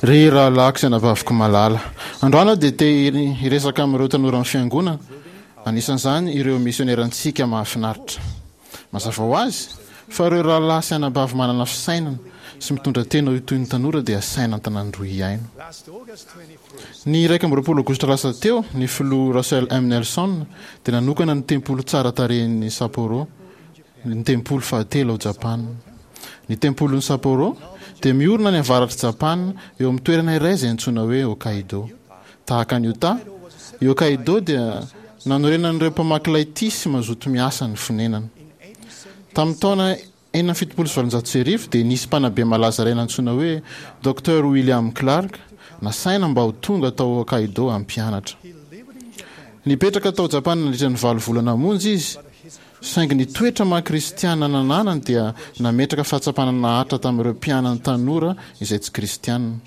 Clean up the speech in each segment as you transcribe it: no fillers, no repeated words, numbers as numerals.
Ry rahalahiko sy anabaviko malala, androany aho dia te hiresaka amin'ireo tanoran'ny Fiangonana, anisan'izany ireo misionerantsika mahafinaritra. Mazava ho azy fa ireo rahalahy sy anabavy manana fisainana sy mitondra tena ho toy ny tanora dia asaina an-tanàn-droa hihaino. Ny 21 Aogositra lasa teo, ny Filoha Russell M. Nelson dia nanokana ny tempoly tsara tarehin'i Sapporo, ny tempoly fahatelo ao Japana. Ny tempolin'i Sapporo dia miorina any avaratr'i Japana eo amin'ny toerana iray izay antsoina hoe Hokkaido. Tahaka an'i Utah, i Hokkaido dia nanorenan'ireo mpamaky lay tia sy mazoto miasa ny fonenana. Tamin'ny taona 1876 dia nisy mpanabe malaza iray nantsoina hoe Docteur William Clark nasaina mba ho tonga tao Hokkaido hampianatra. Nipetraka tao Japana nandritra ny valo volana monja izy Saingy ny toetra maha kristiana nananany dia nametraka fahatsapana naharitra tamin'ireo mpianany tanora izay tsy kristiana.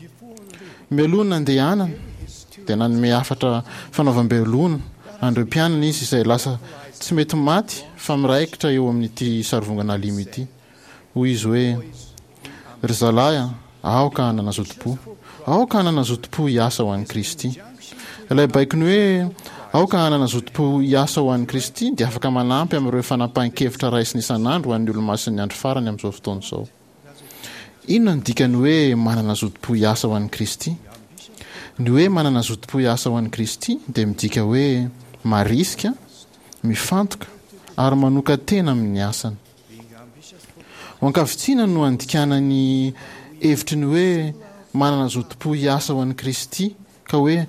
Mialoha ny nandehanany dia nanome hafatra fanaovam-belona an'ireo mpianany izy izay lasa tsy mety maty fa miraikitra eo amin'ity sarivongana alimo ity. Hoy izy hoe, Ry zalahy a, aoka hanana zotom-po. Aoka hanana zotom-po hiasa ho an'i Kristy. Ilay baikony hoe aoka hanana zotom-po hiasa ho an'i Kristy dia afaka manampy amin'ireo fanapahan-kevitra raisina isan'andro ho an'ny Olomasin'ny Andro Farany amin'izao fotoana izao. Inona no dikan'ny hoe manana zotom-po hiasa ho an'i Kristy? Ny hoe manana zotom-po hiasa ho an'i Kristy dia midika hoe marisika, mifantoka ary manokan-tena amin'ny asany. Ho ankavitsiana no andikana ny hevitry ny hoe manana zotom-po hiasa ho an'i Kristy, ka hoe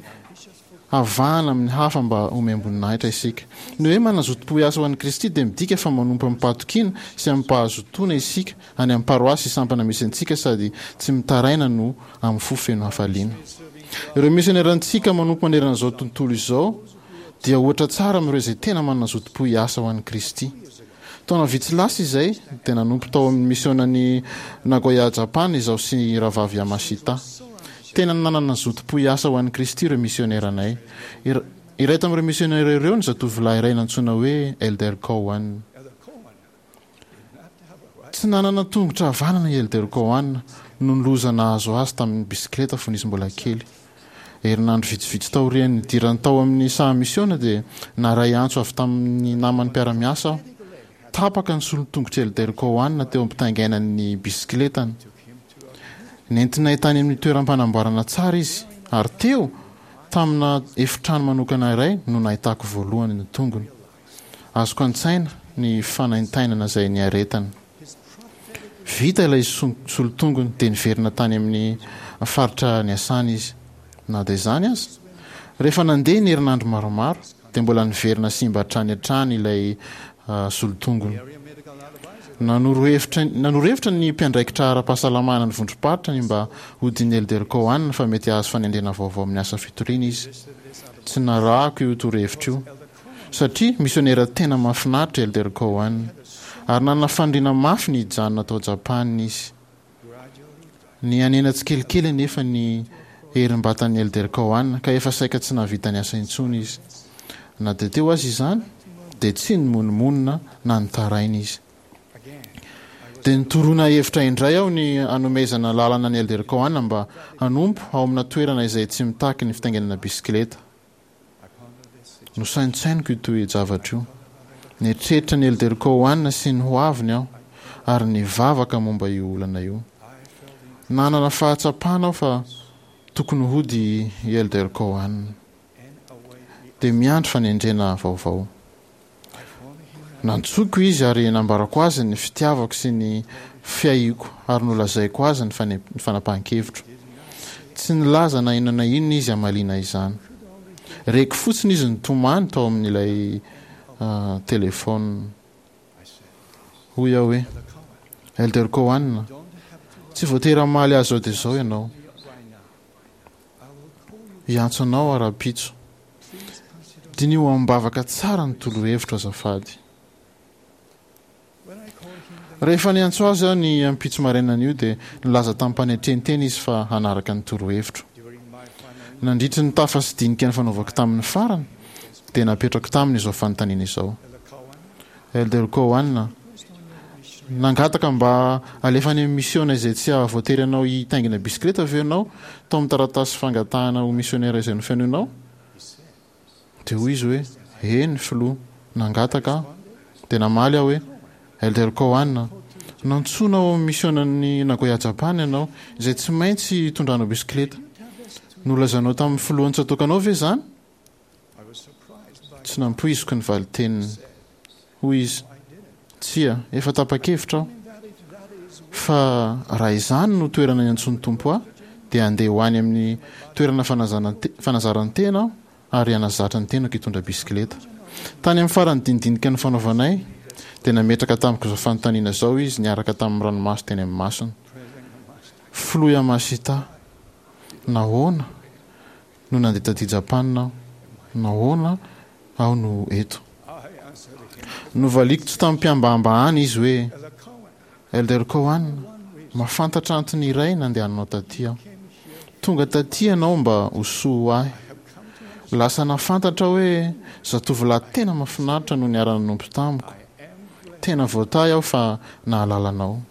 havahana amin'ny hafa mba homem-boninahitra isika. Ny hoe manana zotom-po hiasa ho an'i Kristy dia midika fa manompo amim-pahatokiana sy amim-pahazotoana isika any amin'ny paroasy sy sampana misy antsika sady tsy mitaraina no amin'ny fo feno hafaliana. Ireo misionerantsika manompo manerana izao tontolo izao dia ohatra tsara amin'ireo izay tena manana zotom-po hiasa ho an'i Kristy. Taona vitsy lasa izay, dia nanompo tao amin'ny misionan'i Nagoya, Japana izaho sy Rahavavy Yamashita. Tena nanana zotom-po hiasa ho an'i Kristy ireo misioneranay. Iray tamin'ireo misionera ireo ny zatovolahy iray nantsoina hoe Elder Cowan. Tsy nanana tongotra havanana i Elder Cowan noho ny loza nahazo azy tamin'ny bisikileta fony izy mbola kely. Herinandro vitsivitsy taorian'ny nidirany tao amin'ny saha misiona dia naharay antso avy tamin'ny namany mpiara-miasa aho. Tapaka ny solon-tongotr'i Elder Cowan teo am-pitaingainany ny bisikiletany. Nentinay tany amin'ny toeram-panamboarana tsara izy, ary teo, tamina efitrano manokana iray no nahitako voalohany ny tongony. Azoko an-tsaina ny fanaintainana izay niaretany. Vita ilay solon-tongony dia niverina tany amin'ny faritra niasany izy. Na dia izany aza, rehefa nandeha ny herinandro maromaro dia mbola niverina simba hatrany hatrany ilay solon-tongony. Nanoro hevitra nanoro hevitra ny mpiandraikitra ara-pahasalamana ny vondrom-paritra ny mba hodian'ny Elder Cowan fa mety hahazo fanendrena vaovao amin'ny asa fitoriana izy. Tsy narahako io torohevitra io. Satria misionera tena mahafinaritra i Elder Cowan, ary nanana faniriana mafy ny hijanona tao Japana izy. Nihanena tsikelikely anefa ny herim-batan'i Elder Cowan, ka efa saika tsy nahavita niasa intsony izy. Na dia teo aza izany, dia tsy nimonomonona na nitaraina izy. Dia nitoroana hevitra indray aho ny hanomezana lalana an'i Elder Cowan mba hanompo ao amina toerana izay tsy mitaky ny fitaingenana bisikileta. Nosaintsainiko io toe-javatra io. Nieritreritra ny Elder Cowan sy ny hoaviny aho, ary nivavaka momba io olana io. Nanana fahatsapana aho fa tokony hody i Elder Cowan. Dia miandry fanendrena vaovao. Nantsoiko izy ary nambarako azy ny fitiavako sy ny fiahiako ary nolazaiko azy ny fanapahan-kevitro. Tsy nilaza na inona na inona izy hamaliana izany. Reko fotsiny izy nitomany tao amin'ilay telefaonina. Hoy aho hoe, Elder Cowan, tsy voatery hamaly ahy izao dia izao ianao. Hiantso anao aho rahampitso. Diniho amim-bavaka tsara ny torohevitro azafady. Rehefa niantso azy aho ny ampitso marainan'io dia nilaza tamim-panetren-tena izy fa hanaraka ny torohevitro. Nandritry ny tafa sy dinika nifanaovako taminy farany dia napetrako taminy izao fanontaniana izao, Elder Cowan, Nangataka mba halefa any amin'ny misiona izay tsy hahavoatery anao hitaingina bisikileta ve ianao tao amin'ny taratasy fangatahana ho misionera izay nofenoinao? Dia hoy izy hoe, Eny, Filoha, nangataka aho. Dia namaly aho hoe, Elder Cowan, nantsoina ao amin'ny misionan'i Nagoya Japan ianao, izay tsy maintsy hitondranao bisikileta. Nolazainao tamin'ny filohan'ny tsatòkanao ve izany? Tsy nampoiziko ny valin-teniny. Hoy izy, Tsia, efa tapa-kevitra aho fa raha izany no toerana iantsoan'ny Tompo ahy, dia handeha ho any amin'ny toerana fanazaran-tena aho ary hanazatra ny tenako hitondra bisikileta. Tany amin'ny faran'ny dinidinika nifanaovanay, dia nametraka tamiko izao fanontaniana izao izy niaraka tamin'ny ranomaso teny amin'ny masony, Filoha Yamashita, nahoana no nandeha taty Japana aho? Nahoana aho no eto? Novaliako tsy tamim-pihambahambahana izy hoe, Elder Cowan, mahafantatra antony iray nandehananao taty aho. Tonga taty ianao mba ho soa ho ahy. Lasa nahafantatra aho hoe zatovolahy tena mahafinaritra no niara-nanompo tamiko. Tena voatahy aho fa nahalala anao.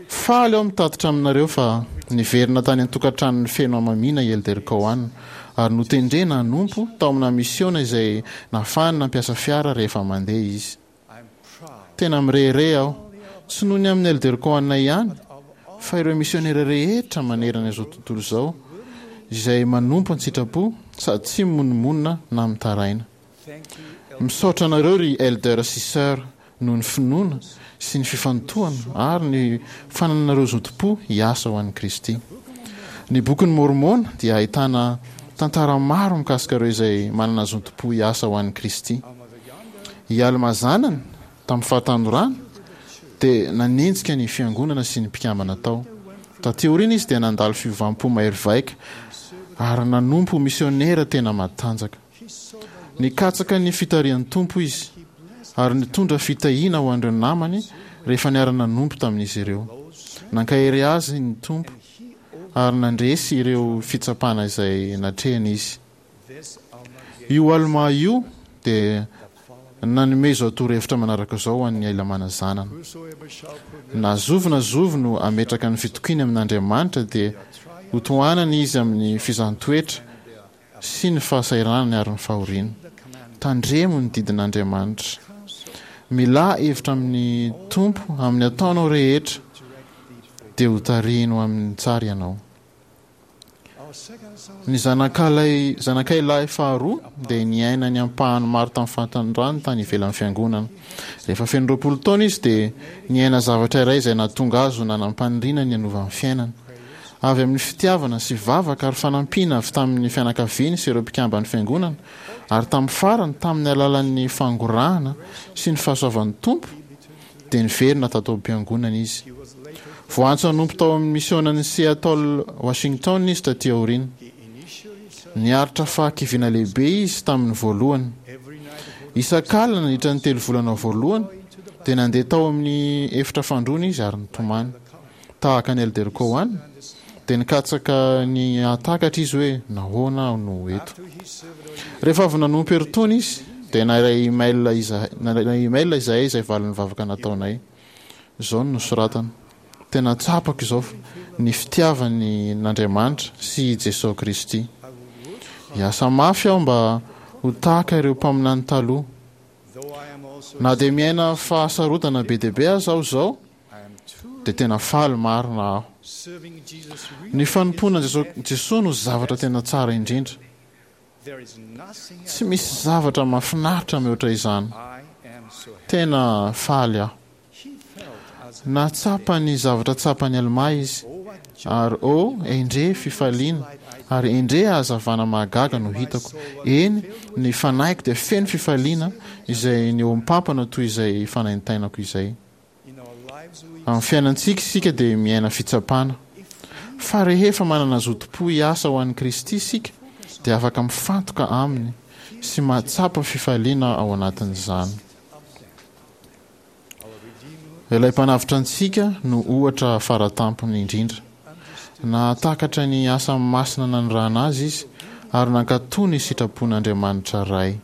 Faly aho mitatitra aminareo fa niverina tany an-tokantranony feno hamamiana i Elder Cowan ary notendrena hanompo tao amina misiona izay nahafahany nampiasa fiara rehefa mandeha izy. Tena mirehareha aho, tsy noho ny amin'i Elder Cowan ihany, fa ireo misionera rehetra manerana izao tontolo izao izay manompo an-tsitrapo sady tsy mimonomonona na mitaraina. Misaotra anareo ry Elder sy Sœur noho ny finoana sy ny fifantohana ary ny fanananareo zotom-po hiasa ho an'i Kristy. Ny Bokin'i Môrmôna dia ahitana tantara maro mikasika ireo izay manana zotom-po hiasa ho an'i Kristy. I Almà zanany, tamin'ny fahatanorany, dia nanenjika ny Fiangonana sy ny mpikambana tao. Taty aoriana izy dia nandalo fiovam-po mahery vaika ary nanompo ho misiônera tena matanjaka. Nikatsaka ny fitarihan'ny Tompo izy ary nitondra fitahiana ho an'ireo namany rehefa niara-nanompo tamin'izy ireo. Nankahery azy ny Tompo ary nandresy ireo fitsapana izay natrehiny izy. Io Almà io dia nanome izao torohevitra manaraka izao ho an'i Helamàna zanany, Na zovy na zovy no hametraka ny fitokiany amin'Andriamanitra dia hotohanana izy amin'ny fizahàn-toetra sy ny fahasahiranany ary ny fahoriana. Tandremo ny didin'Andriamanitra. Milà hevitra amin'ny Tompo amin'ny ataonao rehetra, dia hotarihiny ho amin'ny tsara ianao. Ny zanakalahy zanakay lahy faharoa dia niaina ny ampahany maro tamin'ny fahatanorany tany ivelan'ny fiangonana. Rehefa feno 20 taona izy dia niaina zavatra iray izay nahatonga azy ho nanam-paniriana ny hanova ny fiainany. Avy amin'ny fitiavana sy vavaka ary fanampiana avy tamin'ny fianakaviany sy ireo mpikamban'ny Fiangonana, ary tamin'ny farany tamin'ny alalan'ny fangorahana sy ny fahasoavan'ny Tompo, dia niverina tato am-piangonana izy. Voaantso hanompo tao amin'ny misionan'i Seattle, Washington izy taty aoriana. Niaritra fahakiviana lehibe izy tamin'ny voalohany. Isak'alina nandritra ny telovolana voalohany, dia nandeha tao amin'ny efitra fandroana izy ary nitomany. Tahaka an'i Elder Cowan, dia nikatsaka ny hahatakatra izy hoe nahoana aho no eto. Rehefa avy nanompo herintaona izy, dia naray email izahay, naray email izahay izay valin'ny vavaka nataonay. Izao no nosoratany, Tena tsapako izao ny fitiavany an'Andriamanitra sy i Jesoa Kristy. Hiasa mafy aho mba ho tahaka ireo mpaminany taloha. Na dia miaina fahasarotana be dia be aza aho izao, dia tena faly marina aho. Ny fanompoana an'i Jesoa no zavatra tena tsara indrindra. Tsy misy zavatra mahafinaritra mihoatra izany. Tena faly aho. Nahatsapa ny zavatra tsapan'i Almà izy, ary oh, endrey fifaliana, ary endrey hazavana mahagaga no hitako. Eny, ny fanahiko dia feno fifaliana izay nihoam-pampana toy izay fanaintainako izay. Amin'ny fiainantsika isika dia miaina fitsapana. Fa rehefa manana zotom-po hiasa ho an'i Kristy isika dia afaka mifantoka Aminy sy mahatsapa fifaliana ao anatin'izany. Ilay Mpanavotra antsika no ohatra faratampony indrindra. Nahatakatra ny asa masina nanirahana azy Izy ary nankatò ny sitrapon'Andriamanitra Ray.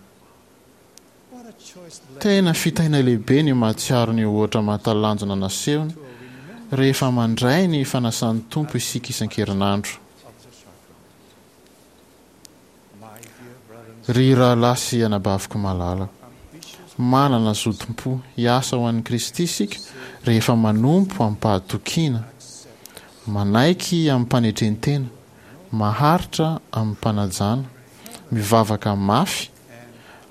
Tena fitahiana lehibe ny mahatsiaro ny ohatra mahatalanjona nasehony rehefa mandray ny fanasan'ny Tompo isika isan-kerinandro. Ry rahalahy sy anabaviko malala, manana zotom-po hiasa ho an'i Kristy isika rehefa manompo amim-pahatokiana, manaiky amim-panetren-tena, maharitra amim-panajana, mivavaka mafy,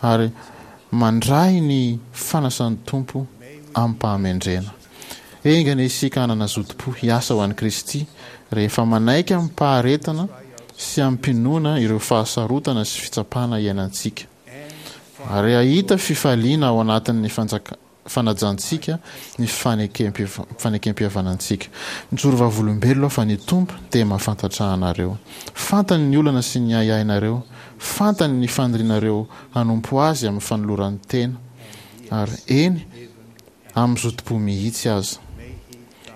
ary mandray ny fanasan'ny Tompo amim-pahamendrehana. Enga anie isika hanana zotom-po hiasa ho an'i Kristy rehefa manaiky amim-paharetana sy amim-pinoana ireo fahasarotana sy fitsapana iainantsika, ary hahita fifaliana ao anatin'ny fanajantsika ny fanekempihavanantsika. Mijoro vavolombelona aho fa ny Tompo dia mahafantatra anareo. Fantany ny olana sy ny ahiahinareo. Fantany ny fanirianareo hanompo Azy amin'ny fanoloran-tena, ary eny, amin'ny zotom-po mihitsy aza.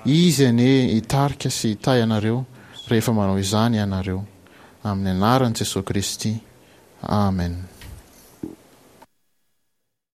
Izy anie hitarika sy hitahy anareo rehefa manao izany ianareo. Amin'ny anaran'i Jesoa Kristy, Amen.